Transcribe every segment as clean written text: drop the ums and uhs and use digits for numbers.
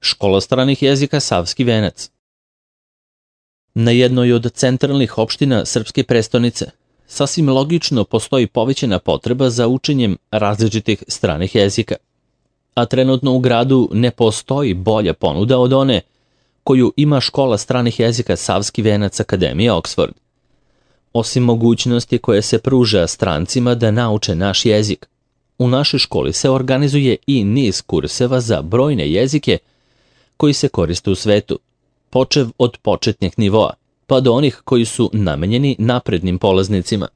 Škola stranih jezika Savski venac. Na jednoj od centralnih opština srpske prestonice sasvim logično postoji povećana potreba za učenjem različitih stranih jezika, a trenutno u gradu ne postoji bolja ponuda od one koju ima škola stranih jezika Savski venac Akademija Oxford. Osim mogućnosti koje se pruža strancima da nauče naš jezik, u našoj školi se organizuje i niz kurseva za brojne jezike koji se koriste u svetu, počev od početnih nivoa, pa do onih koji su namenjeni naprednim polaznicima.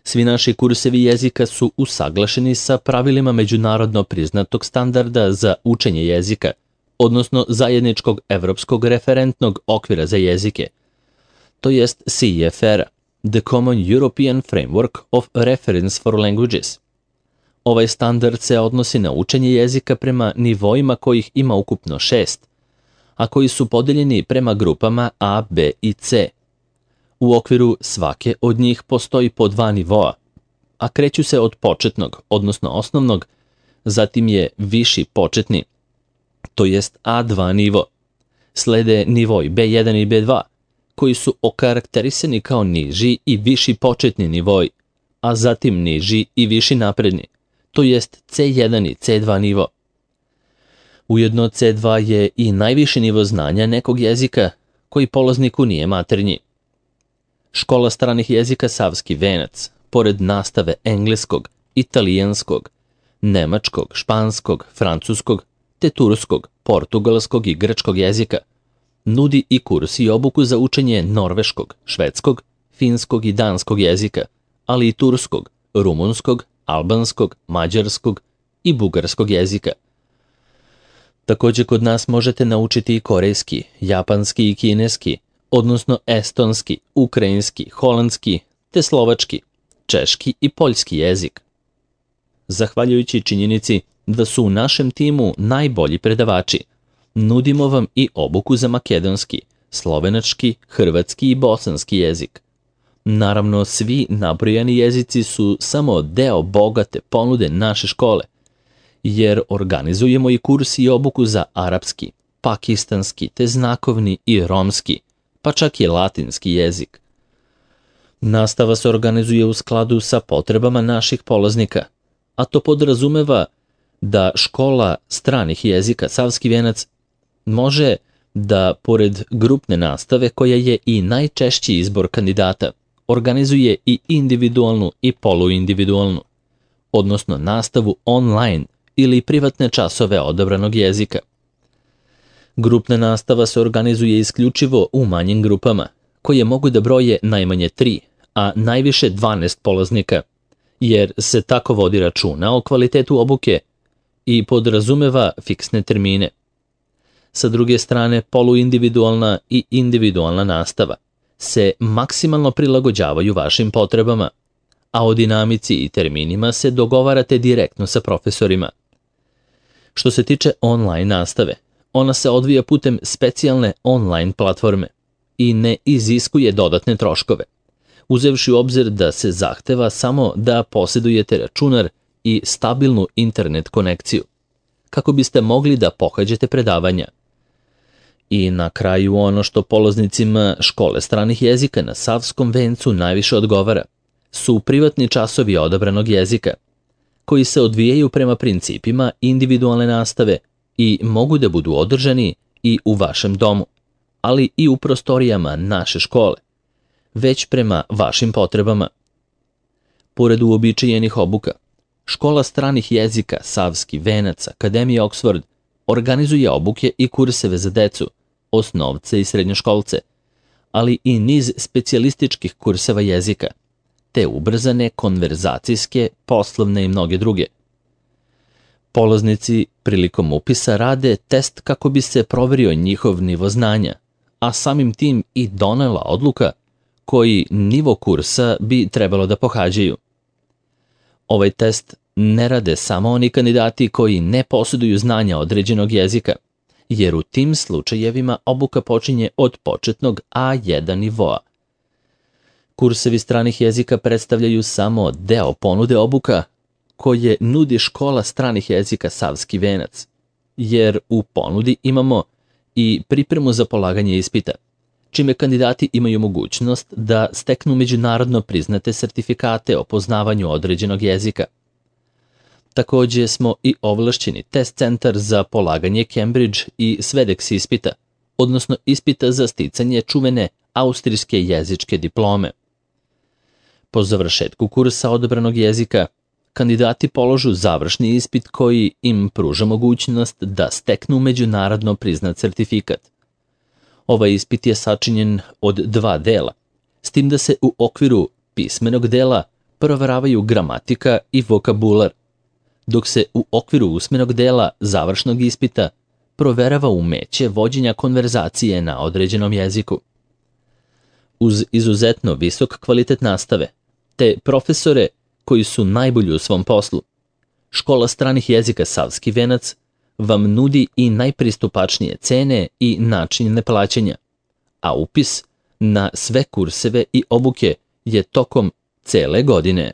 Svi naši kursevi jezika su usaglašeni sa pravilima međunarodno priznatog standarda za učenje jezika, odnosno zajedničkog evropskog referentnog okvira za jezike, to jest CEFR-a, The Common European Framework of Reference for Languages. Ovaj standard se odnosi na učenje jezika prema nivoima kojih ima ukupno 6, a koji su podeljeni prema grupama A, B i C. U okviru svake od njih postoji po 2 nivoa, a kreću se od početnog, odnosno osnovnog, zatim je viši početni, to jest A2 nivo. Slede nivoi B1 i B2, koji su okarakterisani kao niži i viši početni nivoi, a zatim niži i viši napredni, to jest C1 i C2 nivo. Ujedno C2 je i najviši nivo znanja nekog jezika koji polazniku nije maternji. Škola stranih jezika Savski venac, pored nastave engleskog, italijanskog, nemačkog, španskog, francuskog, te turskog, portugalskog i grčkog jezika, nudi i kurs i obuku za učenje norveškog, švedskog, finskog i danskog jezika, ali i turskog, rumunskog, albanskog, mađarskog i bugarskog jezika. Također kod nas možete naučiti i korejski, japanski i kineski, odnosno estonski, ukrajinski, holandski, te slovački, češki i poljski jezik. Zahvaljujući činjenici da su u našem timu najbolji predavači, nudimo vam i obuku za makedonski, slovenački, hrvatski i bosanski jezik. Naravno, svi nabrojani jezici su samo deo bogate ponude naše škole, jer organizujemo i kurs i obuku za arapski, pakistanski, te znakovni i romski, pa čak i latinski jezik. Nastava se organizuje u skladu sa potrebama naših polaznika, a to podrazumeva da škola stranih jezika Savski venac može da, pored grupne nastave koja je i najčešći izbor kandidata, organizuje i individualnu i poluindividualnu, odnosno nastavu online ili privatne časove odabranog jezika. Grupna nastava se organizuje isključivo u manjim grupama, koje mogu da broje najmanje 3, a najviše 12 polaznika, jer se tako vodi računa o kvalitetu obuke i podrazumeva fiksne termine. Sa druge strane, poluindividualna i individualna nastava se maksimalno prilagođavaju vašim potrebama, a o dinamici i terminima se dogovarate direktno sa profesorima. Što se tiče online nastave, ona se odvija putem specijalne online platforme i ne iziskuje dodatne troškove, uzevši u obzir da se zahteva samo da posjedujete računar i stabilnu internet konekciju, kako biste mogli da pohađate predavanja. I na kraju ono što polaznicima škole stranih jezika na Savskom vencu najviše odgovara su privatni časovi odabranog jezika, koji se odvijaju prema principima individualne nastave i mogu da budu održani i u vašem domu, ali i u prostorijama naše škole, već prema vašim potrebama. Pored uobičajenih obuka, škola stranih jezika Savski venac Akademija Oxford organizuje obuke i kurseve za decu, osnovce i srednjoškolce, ali i niz specijalističkih kurseva jezika, te ubrzane konverzacijske, poslovne i mnoge druge. Polaznici prilikom upisa rade test kako bi se proverio njihov nivo znanja, a samim tim i donela odluka koji nivo kursa bi trebalo da pohađaju. Ovaj test ne rade samo oni kandidati koji ne posjeduju znanja određenog jezika, jer u tim slučajevima obuka počinje od početnog A1 nivoa. Kursevi stranih jezika predstavljaju samo deo ponude obuka koje nudi škola stranih jezika Savski venac, jer u ponudi imamo i pripremu za polaganje ispita, čime kandidati imaju mogućnost da steknu međunarodno priznate sertifikate o poznavanju određenog jezika. Takođe smo i ovlašćeni test centar za polaganje Cambridge i Swedex ispita, odnosno ispita za sticanje čuvene austrijske jezičke diplome. Po završetku kursa odabranog jezika, kandidati položu završni ispit koji im pruža mogućnost da steknu međunarodno priznat sertifikat. Ovaj ispit je sačinjen od 2 dela, s tim da se u okviru pismenog dela proveravaju gramatika i vokabular, dok se u okviru usmenog dela završnog ispita proverava umeće vođenja konverzacije na određenom jeziku. Uz izuzetno visok kvalitet nastave, te profesore koji su najbolji u svom poslu, Škola stranih jezika Savski venac vam nudi i najpristupačnije cene i načine plaćanja, a upis na sve kurseve i obuke je tokom cele godine.